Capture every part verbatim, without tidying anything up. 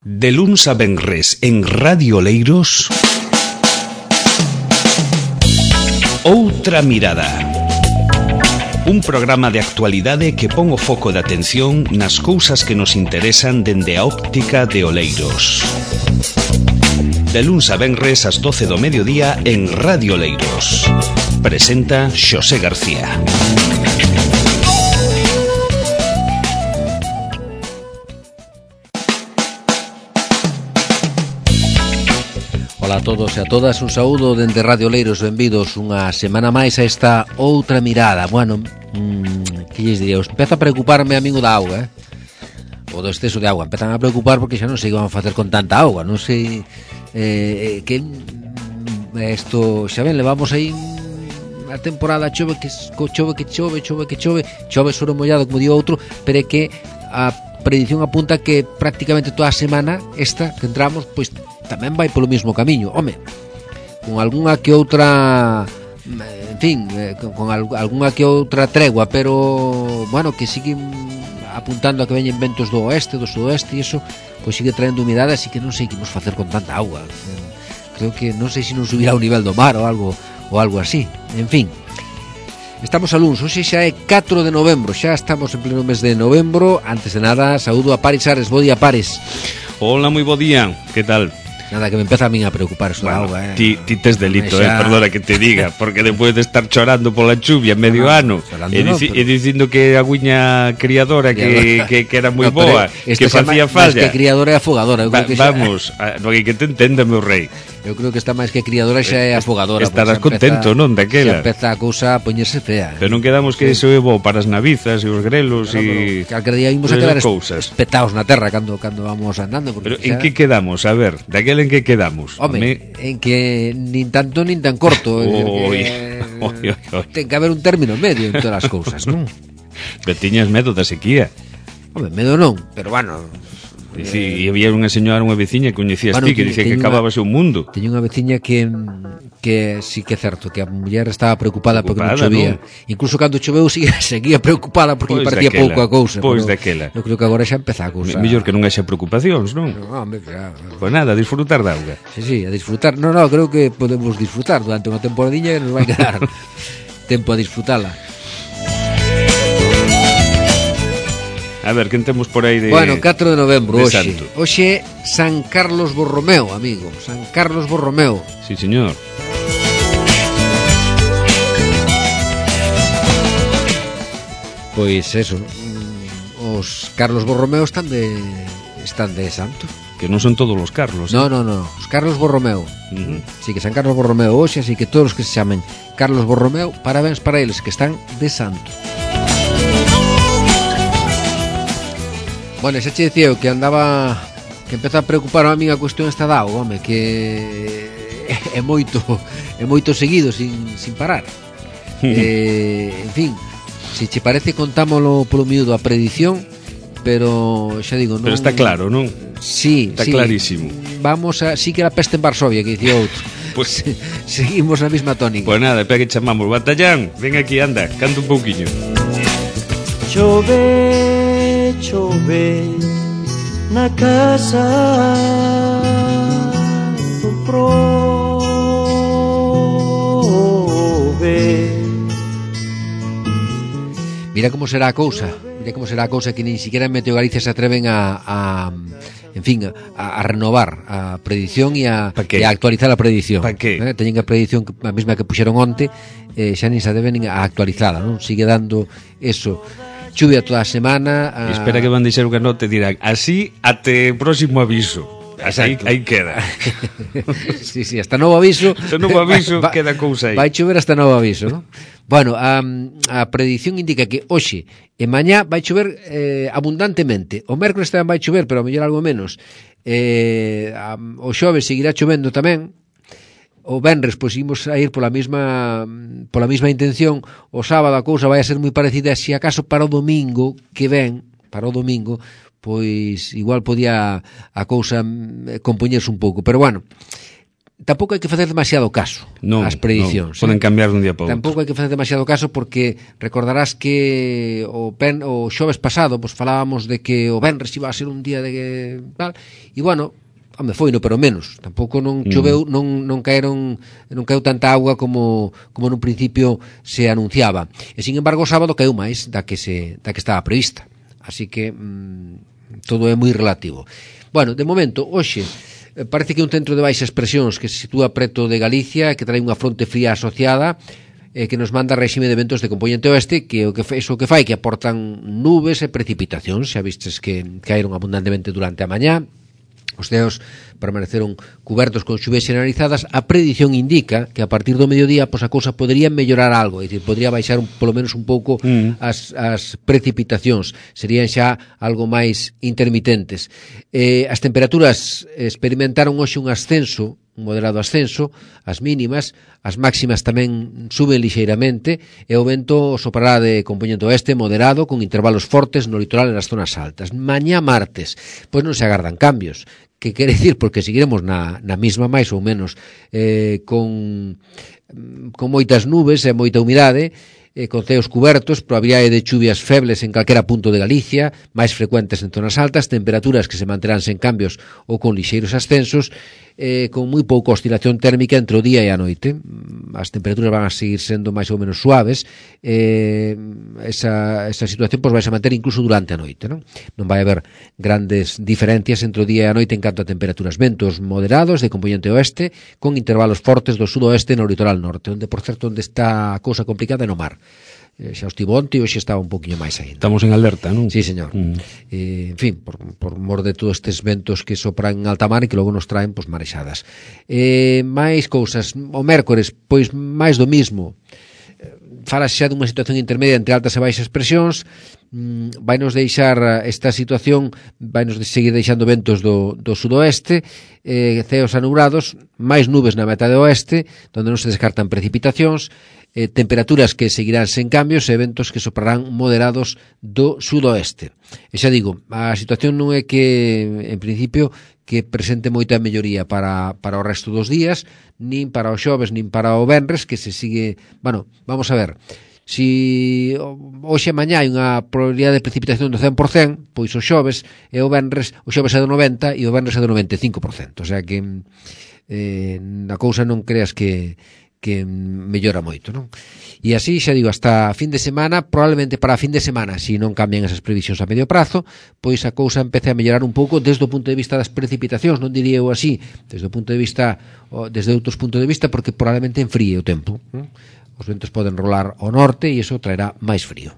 De luns a venres en Radio Oleiros, Outra Mirada. Un programa de actualidade que pon o foco de atención nas cousas que nos interesan dende a óptica de Oleiros. De luns a venres ás doce do mediodía en Radio Oleiros. Presenta Xosé García. Ola a todos e a todas, un saúdo dende Radio Oleiros, benvidos unha semana máis a esta Outra Mirada. Bueno, mmm, que lles diría, empeza a preocuparme a min o da auga, eh? O do exceso de auga, empezan a preocupar porque xa non sei que van a facer con tanta auga, non sei eh, que isto, xa ben, levamos aí a temporada, chove que chove que chove, chove que chove, chove sobre mollado, como digo outro, pero é que a predición apunta que prácticamente toda a semana esta que entramos, pois tamén vai polo mismo camiño, home, con algunha que outra, en fin, con algunha que outra tregua, pero, bueno, que sigue apuntando a que veñen ventos do oeste, do sudoeste, e iso, pois sigue traendo humidade, así que non sei que imos facer con tanta auga. Creo que non sei se non subirá o nivel do mar ou algo, ou algo así, en fin. Estamos a luns, hoxe xa é catro de novembro, xa estamos en pleno mes de novembro. Antes de nada, saúdo a Paris Ares, bo día Paris. Hola, moi bo día, que tal? Nada, que me empeza a min a preocupar eso bueno, da auga, eh. Ti, ti tes delito, xa... eh, perdona que te diga, porque despois de estar chorando pola chuvia medio no, ano e, dici, no, pero... e dicindo que a guiña criadora que, que, que era moi no, boa, que facía falla. Que criadora e afogadora, eu Va, creo que xa... Vamos, a, no hai que te entenda, meu rei. Eu creo que está máis que criadora xa é afogadora. Estarás contento, non, daquela. Xa empeza a cousa a poñerse fea. Pero non quedamos que iso é bo para as navizas e os grelos e... Calquer día imos a quedar espetados na terra cando cando vamos andando. Pero en que quedamos? A ver, daquela en que quedamos? Home, Me... en que nin tanto nin tan corto. Oi, eh, oi, oi, oi. Ten que haber un término medio en todas as cousas, non? Pero tiñas medo da sequía. Home, medo non, pero bueno... E si, eh, había unha señora, unha veciña que coñecías bueno, ti, que dicía que acabábase o mundo. Teño unha veciña que que sí que é certo, que a muller estaba preocupada, preocupada porque non chovía. ¿No? Incluso cando choveu seguía, seguía preocupada porque pois parecía pouco a cousa. Pois daquela. Eu creo que agora xa empeza a cousa. Mellor que non haxa preocupacións, non? No, hombre, claro. Pois nada, a disfrutar da auga. Sí, sí, a disfrutar. No, no, creo que podemos disfrutar durante unha temporadinha que nos vai quedar tempo a disfrutala. A ver, quen temos por aí de... Bueno, catro de novembro, de hoxe. santo. Hoxe San Carlos Borromeo, amigo. San Carlos Borromeo. Sí, señor. Pois eso, os Carlos Borromeo están de están de santo. Que non son todos os Carlos. No, eh? no, no, os Carlos Borromeo. Uh-huh. Sí, que San Carlos Borromeo hoxe, así que todos os que se chamen Carlos Borromeo, parabéns para eles que están de santo. Bueno, xa che dicía eu que andaba, que empeza a preocupar a min a cuestión esta da auga, home, que é moito, é moito seguido sin, sin parar. eh, en fin, se che parece contámolo polo miúdo a predición, pero xa digo, non... Pero está claro, non? Sí, está sí, clarísimo. Vamos a, sí que era peste en Varsovia, que dicía outro. Pues seguimos na mesma tónica. Pois pues nada, espera que chamamos, Batallán, ven aquí, anda, canta un pouquiño. Chove chove na casa do prove. Mira como será a cousa, mira como será a cousa que nin siquiera en Meteo Galicia se atreven a, a en fin, a, a renovar a predición e a, e a actualizar a predición. Pa que? Eh, teñen a predición a mesma que puxeron onte, eh, xa nin se deben a actualizada, non? Sigue dando eso. Chuvia toda a semana. A... Espera que van deixar unha nota e dirán así até o próximo aviso. Aí, aí queda. Sí, sí, hasta novo aviso. Hasta novo aviso va, queda cousa aí. Vai chover hasta novo aviso, ¿no? Bueno, a, a predición indica que hoxe e mañá vai chover eh, abundantemente. O mércoles tamén vai chover, pero a mellor algo menos. Eh, a, o xoves seguirá chovendo tamén. O venres, pois imos a ir pola mesma pola mesma intención. O sábado a cousa vai a ser moi parecida. Se acaso para o domingo que ven, para o domingo, pois igual podía a cousa compoñerse un pouco. Pero bueno, tampouco hai que facer demasiado caso non, ás predicións. Non, poden cambiar dun día para outro. Tampouco hai que facer demasiado caso porque recordarás que o, pen, o xoves pasado pues, falábamos de que o venres iba a ser un día de tal, e bueno, home, foi no pero menos. Tampouco non choveu, mm. non, non caeron non caeu tanta auga como, como nun principio se anunciaba. E sin embargo o sábado caeu máis da que, se, da que estaba prevista. Así que mm, todo é moi relativo. Bueno, de momento, hoxe parece que un centro de baixas presións que se sitúa preto de Galicia, que trae unha fronte fría asociada, eh, que nos manda réxime de ventos de componente oeste, que o que eso que fai que aportan nubes e precipitacións. Xa vistes que caeron abundantemente durante a mañá. Os ceos permaneceron cubertos con chuvas generalizadas. A predición indica que a partir do mediodía pois a cousa podría mellorar algo, é dicir, podría baixar un, polo menos un pouco mm. as, as precipitacións, serían xa algo máis intermitentes. Eh, as temperaturas experimentaron hoxe un ascenso, un moderado ascenso, as mínimas, as máximas tamén suben lixeiramente e o vento soprará de componente oeste moderado con intervalos fortes no litoral e nas zonas altas. Mañá martes, pois non se agardan cambios. Que quere dicir? Porque seguiremos na, na mesma máis ou menos eh, con, con moitas nubes e moita humidade, eh, con ceos cubertos, probabilidade de chuvias febles en calquera punto de Galicia, máis frecuentes en zonas altas, temperaturas que se manterán sen cambios ou con lixeiros ascensos, eh, con moi pouca oscilación térmica entre o día e a noite. As temperaturas van a seguir sendo máis ou menos suaves, eh, esa, esa situación pois, vai a manter incluso durante a noite, non? Non vai haber grandes diferencias entre o día e a noite en canto a temperaturas. Ventos moderados de componente oeste, con intervalos fortes do sudoeste no litoral norte, onde, por certo, onde está a cousa complicada é no mar. Eh, xa estivo onte e hoxe estaba un poquinho máis ainda. Estamos en alerta, non? Sí, señor. Mm. Eh, en fin, por, por mor de todos estes ventos que sopran en alta mar e que logo nos traen pues, marexadas. Eh, máis cousas. O mércores, pois máis do mismo. Falas xa dunha situación intermedia entre altas e baixas presións. Mm, vai nos deixar esta situación, vai nos seguir deixando ventos do, do sudoeste, eh, ceos anubrados, máis nubes na metade oeste, onde non se descartan precipitacións, eh, temperaturas que seguirán sen cambios e ventos que soprarán moderados do sudoeste. E xa digo, a situación non é que, en principio, que presente moita melloría para, para o resto dos días, nin para o xoves, nin para o venres, que se sigue... Bueno, vamos a ver, si hoxe e mañá hai unha probabilidade de precipitación do cen por cento, pois o xoves e o venres, o xoves é do noventa e o venres é do noventa e cinco por cento, o sea que eh, a cousa non creas que que mellora moito, non? E así, xa digo, hasta fin de semana, probablemente para fin de semana, se non cambian esas previsións a medio prazo, pois a cousa empece a mellorar un pouco desde o punto de vista das precipitacións, non diría eu así, desde o punto de vista, desde outros puntos de vista, porque probablemente enfríe o tempo, non? Os ventos poden rolar ao norte e iso traerá máis frío.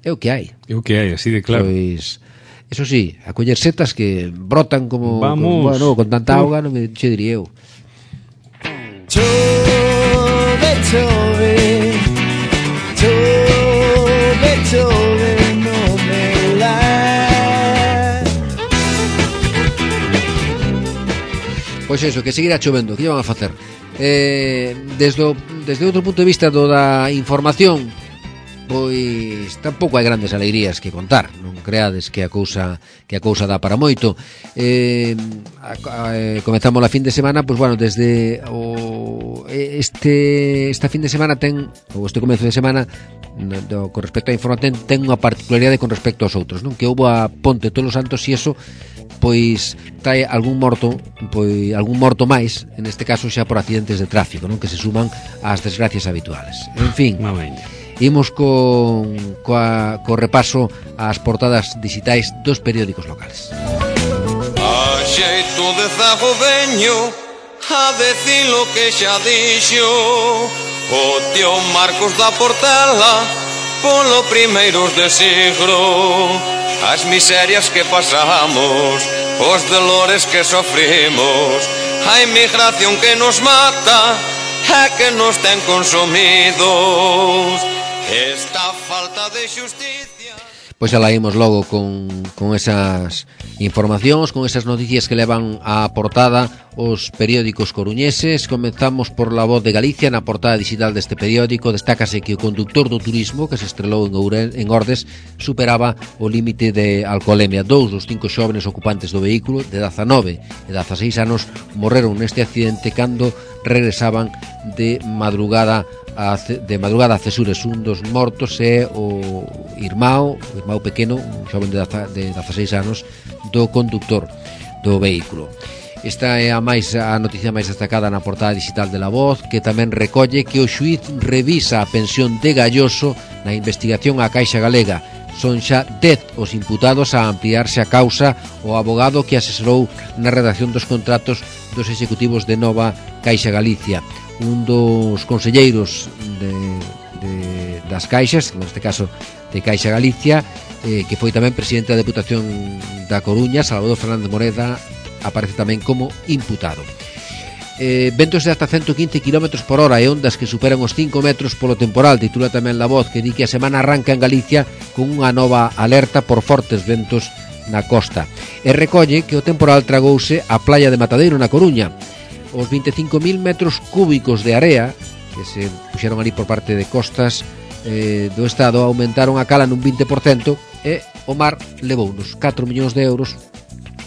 É o que hai. É o que hai, así de claro. Pois, eso sí, a coller setas que brotan como, Vamos. como bueno, con tanta auga, non me che diría eu. Chove, chove, chove, chove no meu lar. Pois eso, que seguirá chovendo, que lle van a facer? Eh, desde, o, desde outro punto de vista do da información, pois tampouco hai grandes alegrías que contar, non creades que a cousa que a cousa dá para moito. Eh, a, a, comezamos a fin de semana, pois bueno, desde o este esta fin de semana ten, ou este comezo de semana, no, do, con respecto á información, ten unha particularidade con respecto aos outros, non? Que houbo a ponte todos os santos e eso pois trae algún morto, pois algún morto máis, en este caso xa por accidentes de tráfico, non? Que se suman ás desgracias habituales. En fin, imos con coa, co repaso ás portadas digitais dos periódicos locales. A xeito de zago veño a decir lo que xa dixo o tío Marcos da Portela polo primeiros de siglo. As miserias que pasamos, os dolores que sofrimos, a inmigración que nos mata e que nos ten consumidos. Esta falta de xusticia. Pois xa la imos logo con, con esas informacións, con esas noticias que levan á portada os periódicos coruñeses. Comenzamos por La Voz de Galicia. Na portada digital deste periódico destácase que o conductor do turismo que se estrelou en, Ouren, en Ordes superaba o límite de alcoholemia. Dous dos cinco xóvenes ocupantes do vehículo de dezanove e dezaseis anos morreron neste accidente cando regresaban de madrugada a, de madrugada a Cesures. Un dos mortos é o irmão, o irmão pequeno, un xoven de dezaseis anos do conductor do vehículo. Esta é a máis a noticia máis destacada na portada digital de La Voz, que tamén recolle que o xuíz revisa a pensión de Galloso na investigación á Caixa Galega. Son xa dez os imputados a ampliarse a causa o abogado que asesorou na redacción dos contratos dos executivos de Nova Caixa Galicia. Un dos conselleiros de, de, das caixas, neste caso de Caixa Galicia, eh, que foi tamén presidente da Deputación da Coruña, Salvador Fernández Moreda, aparece tamén como imputado. Eh, ventos de hasta ciento quince kilómetros por hora e ondas que superan os cinco metros polo temporal. Titula tamén La Voz, que di que a semana arranca en Galicia con unha nova alerta por fortes ventos na costa. E recolle que o temporal tragouse a playa de Matadeiro na Coruña. Os vinte e cinco mil metros cúbicos de area que se puxeron ali por parte de costas eh, do Estado aumentaron a cala nun vinte por cento e o mar levou uns catro millóns de euros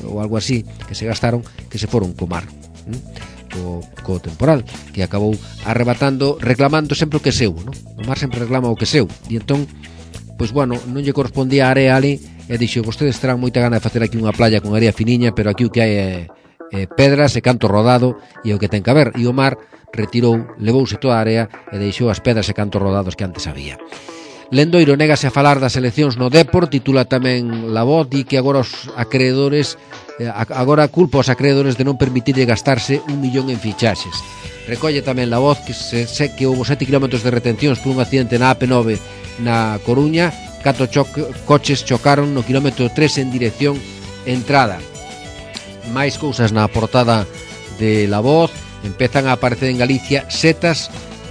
ou algo así, que se gastaron, que se foron co mar, ¿eh? co, co temporal, que acabou arrebatando, reclamando sempre o que é seu, ¿no? O mar sempre reclama o que é seu, e entón, pois bueno, non lle correspondía a area ali, e dixo, vostedes terán moita gana de facer aquí unha playa con area finiña, pero aquí o que hai é, é pedras e canto rodado, e o que ten que haber, e o mar retirou, levouse toda a area, e deixou as pedras e cantos rodados que antes había. Lendoiro negase a falar das eleccións no Dépor. Titula tamén La Voz, di que agora os acreedores agora culpa os acreedores de non permitirlle gastarse un millón en fichaxes. Recolle tamén La Voz que se sé que houve sete kilómetros de retencións por un accidente na A P nove na Coruña. Catro cho- coches chocaron no kilómetro tres en dirección entrada. Máis cousas na portada de La Voz. Empezan a aparecer en Galicia setas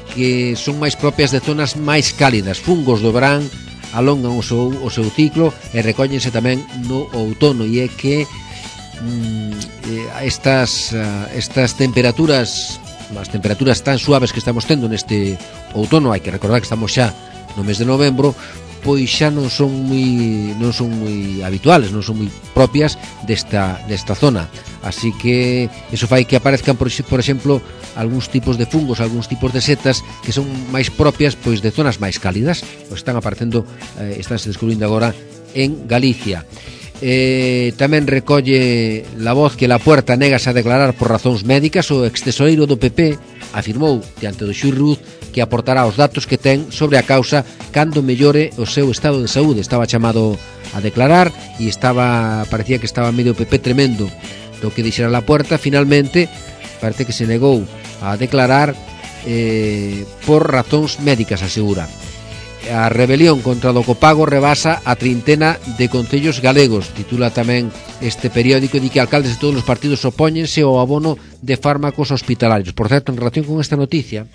que son máis propias de zonas máis cálidas. Fungos do verán alongan o seu, o seu ciclo e recóllense tamén no outono, e é que mm, estas, estas temperaturas as temperaturas tan suaves que estamos tendo neste outono, hai que recordar que estamos xa no mes de novembro, pois xa non son moi non son moi habituales, non son moi propias desta desta zona. Así que eso fai que aparezcan por, por exemplo, algúns tipos de fungos, algúns tipos de setas que son máis propias pois de zonas máis cálidas. Pois están aparecendo, eh, están se descubrindo agora en Galicia. Eh, tamén recolle La Voz que La Puerta negase a declarar por razóns médicas. O extesoreiro do P P afirmou diante do xuíz Ruz que aportará os datos que ten sobre a causa cando mellore o seu estado de saúde. Estaba chamado a declarar e estaba parecía que estaba medio P P tremendo do que dixera La Puerta. Finalmente parece que se negou a declarar eh, por razóns médicas, asegura. A rebelión contra o copago rebasa a trintena de concellos galegos. Titula tamén este periódico, di que alcaldes de todos os partidos opóñense ao abono de fármacos hospitalarios. Por certo, en relación con esta noticia,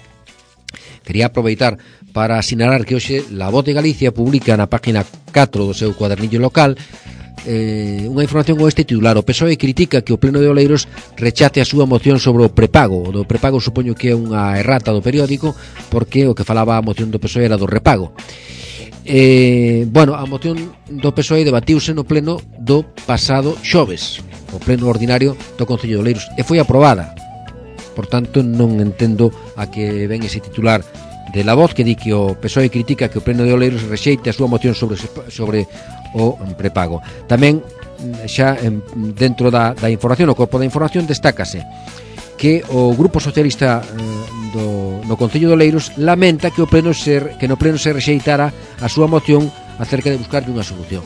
quería aproveitar para asinalar que hoxe La Voz de Galicia publica na página catro do seu cuadernillo local eh, unha información con este titular: o P S O E critica que o Pleno de Oleiros rechace a súa moción sobre o prepago. O do prepago supoño que é unha errata do periódico, porque o que falaba a moción do P S O E era do repago. Eh, bueno, a moción do P S O E debatiuse no Pleno do pasado xoves, o Pleno ordinario do Concello de Oleiros, e foi aprobada. Por tanto, non entendo a que ven ese titular de La Voz que di que o P S O E critica que o Pleno de Oleiros rexeite a súa moción sobre, sobre o prepago. Tamén, xa dentro da, da información, o corpo da información, destácase que o Grupo Socialista eh, do, no Concello de Oleiros lamenta que o pleno se, que no pleno se rexeitara a súa moción acerca de buscarlle unha solución.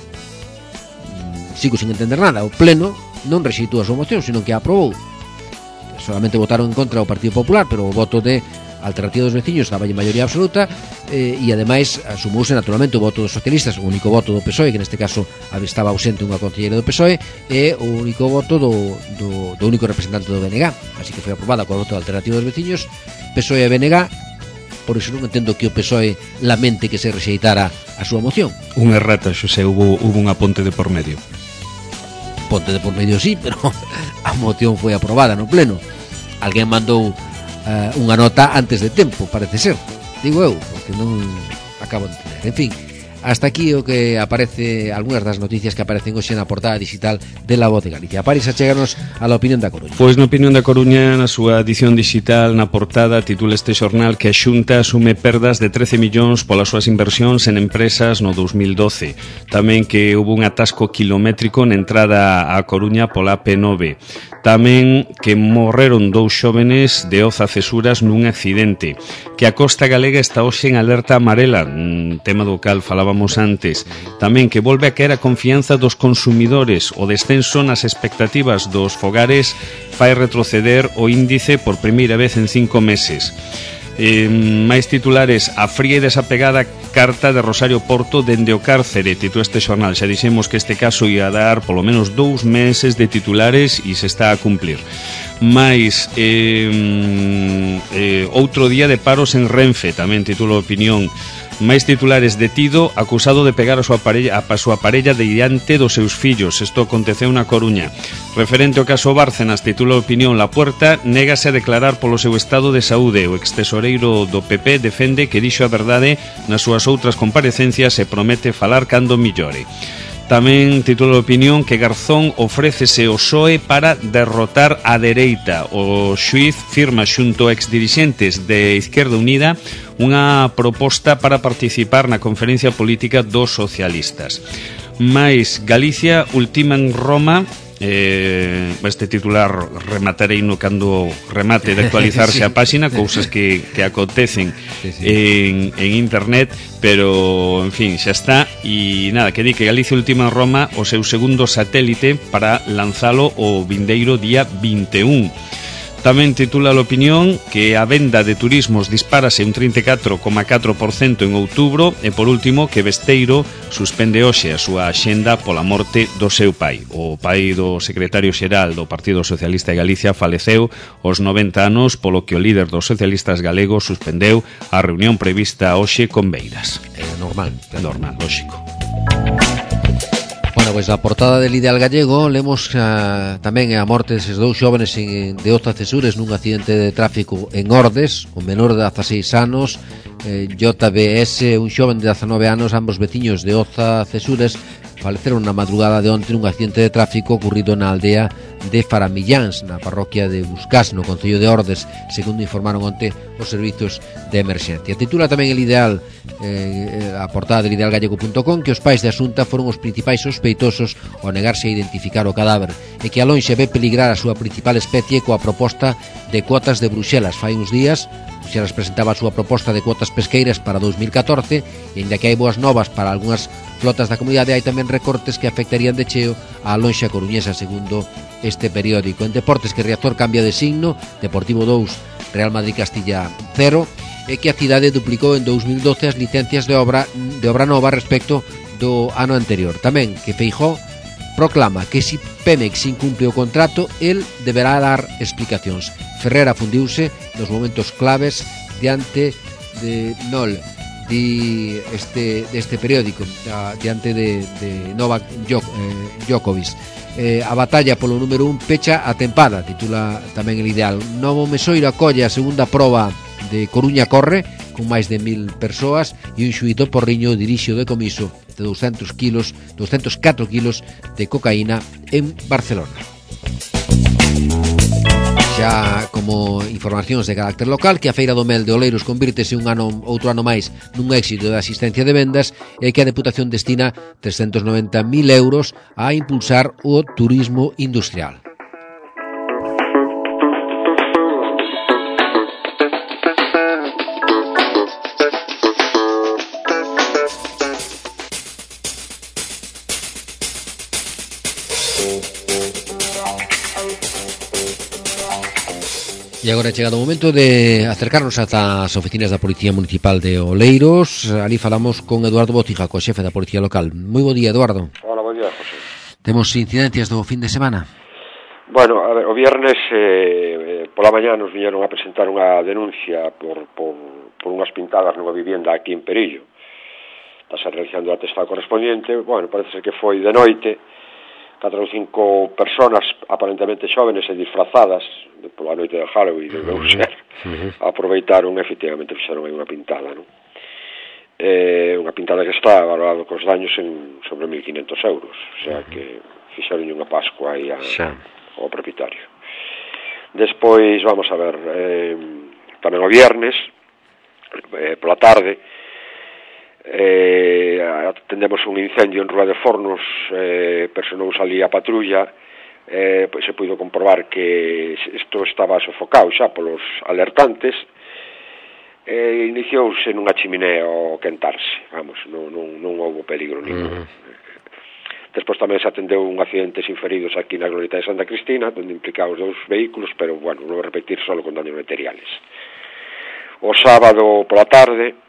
Sigo sin entender nada. O pleno non rexeitou a súa moción, sino que a aprobou. Solamente votaron en contra o Partido Popular, pero o voto de Alternativa dos Veciños estaba en maioría absoluta, eh, e ademais asumouse naturalmente o voto dos socialistas, o único voto do P S O E, que neste caso estaba ausente unha concelleira do P S O E, e o único voto do, do, do único representante do B N G. Así que foi aprobada co voto da Alternativa dos Veciños, P S O E e B N G. Por iso non entendo que o P S O E lamente que se rexeitara a súa moción. Unha errata, Xosé, hubo, hubo unha ponte de por medio. Ponte de por medio sí, pero a moción foi aprobada no pleno. Alguén mandou uh, unha nota antes de tempo, parece ser, digo eu, porque non acabo de entender. En fin, hasta aquí o que aparece, algunhas das noticias que aparecen hoxe na portada digital de La Voz de Galicia. Paris, a chegarnos a la opinión da Coruña. Pois na opinión da Coruña, na súa edición digital, na portada, titula este xornal que a Xunta asume perdas de trece millóns polas súas inversións en empresas no dos mil doce. Tamén que hubo un atasco kilométrico na entrada á Coruña pola P nove. Tamén que morreron dous xóvenes de Oza Cesuras nun accidente. Que a costa galega está hoxe en alerta amarela, un tema do cal falábamos antes. Tamén que volve a caer a confianza dos consumidores. O descenso nas expectativas dos fogares fai retroceder o índice por primeira vez en cinco meses. Eh, máis titulares: a fría e desapegada carta de Rosario Porto dende o cárcere, titula este xornal. Xa dixemos que este caso ia dar polo menos dous meses de titulares e se está a cumplir. Mais eh, eh, outro día de paros en Renfe, tamén titula Opinión. Máis titulares: detido acusado de pegar a súa parella, a súa parella diante dos seus fillos. Isto aconteceu na Coruña. Referente ao caso Bárcenas, titula Opinión: La Puerta négase a declarar polo seu estado de saúde. O extesoreiro do P P defende que dixo a verdade nas súas outras comparecencias e promete falar cando millore. Tamén titula Opinión que Garzón ofrécese ao P S O E para derrotar a dereita. O xuíz firma xunto a exdirixentes de Izquierda Unida unha proposta para participar na conferencia política dos socialistas. Mais Galicia ultima en Roma. Eh, este titular rematarei no cando remate de actualizarse sí. a páxina, cousas que, que acontecen sí, sí. En, en internet, pero en fin, xa está. E nada, que di que Galicia ultima en Roma o seu segundo satélite para lanzalo o vindeiro día vinte e un. Tamén titula a Opinión que a venda de turismos dispárase un trinta e catro coma catro por cento en outubro. E por último que Besteiro suspende hoxe a súa axenda pola morte do seu pai. O pai do secretario xeral do Partido Socialista de Galicia faleceu aos noventa anos, polo que o líder dos socialistas galegos suspendeu a reunión prevista hoxe con Beiras. É normal, é normal, lógico. Bueno, pois a portada del Ideal Gallego lemos uh, tamén a morte deses dous xóvenes en, de Oza Cesures nun accidente de tráfico en Ordes. O menor de dezaseis anos, eh, J B S, un xoven de dezanove anos, ambos veciños de Oza Cesures, faleceron na madrugada de onte nun accidente de tráfico ocurrido na aldea de Faramilláns, na parroquia de Buscás, no concello de Ordes, segundo informaron onte os servizos de emerxencia. Titula tamén el Ideal, eh, a portada del ideal gallego punto com, que os pais de Asunta foron os principais sospeitosos ao negarse a identificar o cadáver e que a lonxe ve peligrar a súa principal especie coa proposta de cuotas de Bruxelas. Fai uns días Bruxelas presentaba a súa proposta de cuotas pesqueiras para dous mil catorce e ainda que hai boas novas para algunhas flotas da comunidade, hai tamén recortes que afectarían de cheo á lonxa coruñesa, segundo este periódico. En deportes, que Riazor cambia de signo, Deportivo dous, Real Madrid Castilla cero, e que a cidade duplicou en dous mil doce as licencias de obra de obra nova respecto do ano anterior. Tamén que Feijóo proclama que se Pemex incumple o contrato, el deberá dar explicacións. Ferrera fundiuse nos momentos claves diante de Nol, di este deste periódico, diante de, de Novak Djokovic. Eh, a batalla polo número un pecha a tempada, titula tamén el Ideal. Novo Mesoiro acolle a segunda proba de Coruña Corre, con máis de mil persoas, e un xuízo Porriño dirixe o decomiso de douscentos kilos, douscentos catro kilos de cocaína en Barcelona. Xa como informacións de carácter local, que a Feira do Mel de Oleiros convírtese un ano, outro ano máis nun éxito de asistencia de vendas e que a Deputación destina trescentos noventa mil euros a impulsar o turismo industrial. E agora é chegado o momento de acercarnos ata as oficinas da Policía Municipal de Oleiros. Ali falamos con Eduardo Bocija, co xefe da Policía Local. Moi bo día, Eduardo. Hola, bo día, José. Temos incidencias do fin de semana? Bueno, a ver, o viernes eh, pola mañá nos viñeron a presentar unha denuncia por, por, por unhas pintadas nunha vivienda aquí en Perillo. Estás realizando o atestado correspondiente. Bueno, parece ser que foi de noite, catro ou cinco personas aparentemente xóvenes e disfrazadas pola noite de Halloween de deu ser, uh-huh. aproveitaron e efectivamente fixeron aí unha pintada, non? Eh, unha pintada que está valorado cos daños en sobre mil quinhentos euros, o sea uh-huh. que fixeron unha pascua aí a, ao propietario. Despois, vamos a ver, eh, tamén o viernes, eh, pola tarde, eh, atendemos un incendio en Rúa de Fornos, eh, personou ali a patrulla, eh, pois se puido comprobar que isto estaba sofocado xa polos alertantes, eh, iniciouse nunha chimenea ao quentarse, vamos, non, non, non houve peligro ningún. Uh-huh. Despois tamén se atendeu un accidente sin feridos aquí na Glorieta de Santa Cristina, onde implicados dous vehículos, pero, bueno, non vou repetir solo con daños materiales. O sábado pola tarde,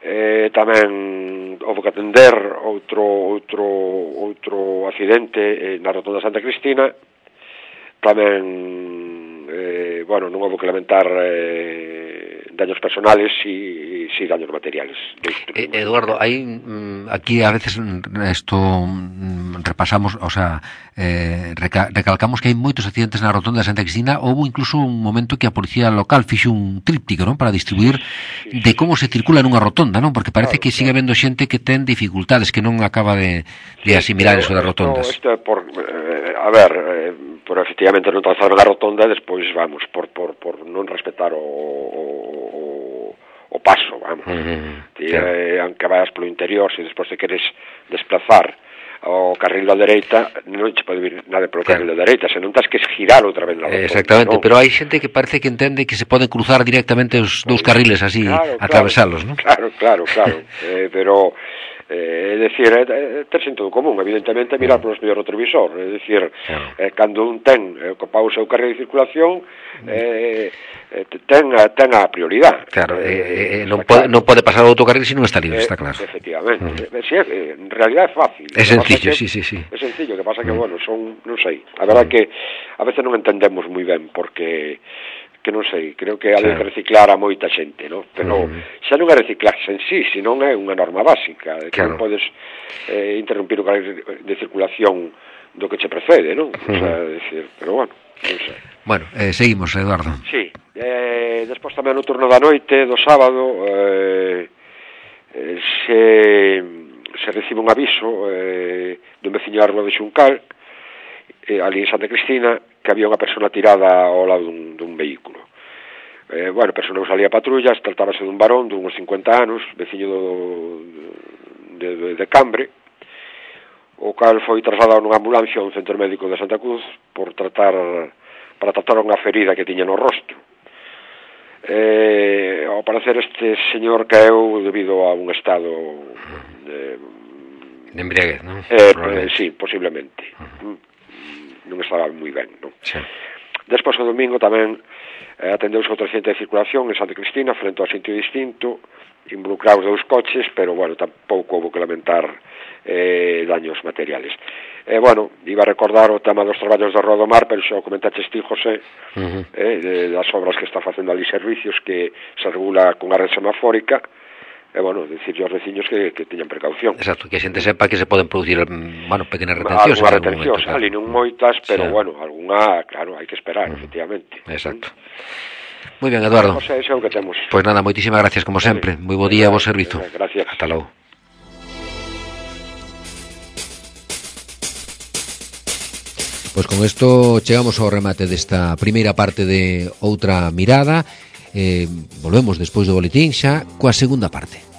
Eh, tamén houve que atender outro outro outro accidente eh, na rotonda Santa Cristina. Tamén eh, bueno, non houve que lamentar eh, daños personales e si daños materiales. Eh, Eduardo, hai mm, aquí a veces esto mm, repasamos, o sea, eh, reca recalcamos que hai moitos accidentes na rotonda de Santa Cristina. Houve incluso un momento que a policía local fixo un tríptico, non, para distribuir sí, sí, de como se circula nunha rotonda, non? Porque parece claro, que sigue habendo xente que ten dificultades, que non acaba de, de asimilar sí, eso das rotondas. Isto é por, eh, a ver, eh, por efectivamente non trazaron a rotonda e despois, vamos, por, por, por non respetar o, o, o paso, vamos. Uh-huh, Ti, claro. eh, aunque vayas polo interior, se despois te queres desplazar ao carril da dereita, non che pode vir nada polo claro. carril da dereita, senón tens que girar outra vez na rotonda. Exactamente, ¿no? Pero hai xente que parece que entende que se poden cruzar directamente os dous carriles así, claro, atravesalos, claro, non? Claro, claro, claro, eh, pero é eh, dicir, é, é ter sentido común, evidentemente, mirar polo espello retrovisor, é dicir, claro. eh, cando un ten eh, ocupado o seu carril de circulación, eh, eh, ten, ten a prioridade. Claro, eh, eh, non, pode, claro. non pode pasar ao outro carril se non está libre, eh, está claro. Efectivamente, uh-huh. eh, sí, eh, en realidad é fácil. É sencillo, que, sí, sí, sí. É sencillo, que pasa que, uh-huh. bueno, son, non sei, a verdad uh-huh. que a veces non entendemos moi ben, porque que non sei, creo que hai que reciclar a moita xente, no? Pero uh-huh. xa non é reciclarse en sí, senón é unha norma básica, que claro. non podes eh, interrumpir o carril de circulación do que che precede, non? Uh-huh. O sea, decir, pero bueno, non sei. Bueno, eh, seguimos, Eduardo. Sí, eh, despois tamén no turno da noite, do sábado, eh, eh, se, se recibe un aviso eh, dun veciño da Rúa de Xuncal, eh, ali en Santa Cristina, que había unha persona tirada ao lado dun, dun vehículo. Eh, bueno, a persona non salía a patrulla, tratábase dun varón de uns cincuenta anos, veciño do, de, de, de Cambre, o cal foi trasladado nunha ambulancia a un centro médico de Santa Cruz por tratar para tratar unha ferida que tiña no rostro. Eh, ao parecer este señor caeu debido a un estado de, de embriaguez, non? Eh, eh, sí, posiblemente. Uh-huh. Non estaba moi ben, non? Sí. Despois o domingo tamén eh, atendeuse outro accidente de circulación en Santa Cristina frente ao sitio distinto, involucrados dous coches, pero, bueno, tampouco houve que lamentar eh, daños materiales. Eh, bueno, iba a recordar o tema dos traballos de Rodomar, pero xa o comentaches ti, José, uh-huh. eh, de, das obras que está facendo ali servicios que se regula con a red semafórica, e, bueno, decirle aos veciños que, que teñan precaución. Exacto, que a xente sepa que se poden producir, bueno, pequenas retencións. Algunas retencións, claro. Ali non moitas, pero, sí. bueno, alguna, claro, hai que esperar, uh-huh. efectivamente. Exacto. Moi ben, Eduardo. Pois é, é o que temos. Pois nada, moitísimas gracias, como sempre. Moi bo día, bo servizo. Gracias. Hasta logo. Pois con isto chegamos ao remate desta primeira parte de Outra Mirada. Eh, volvemos despois do boletín xa coa segunda parte.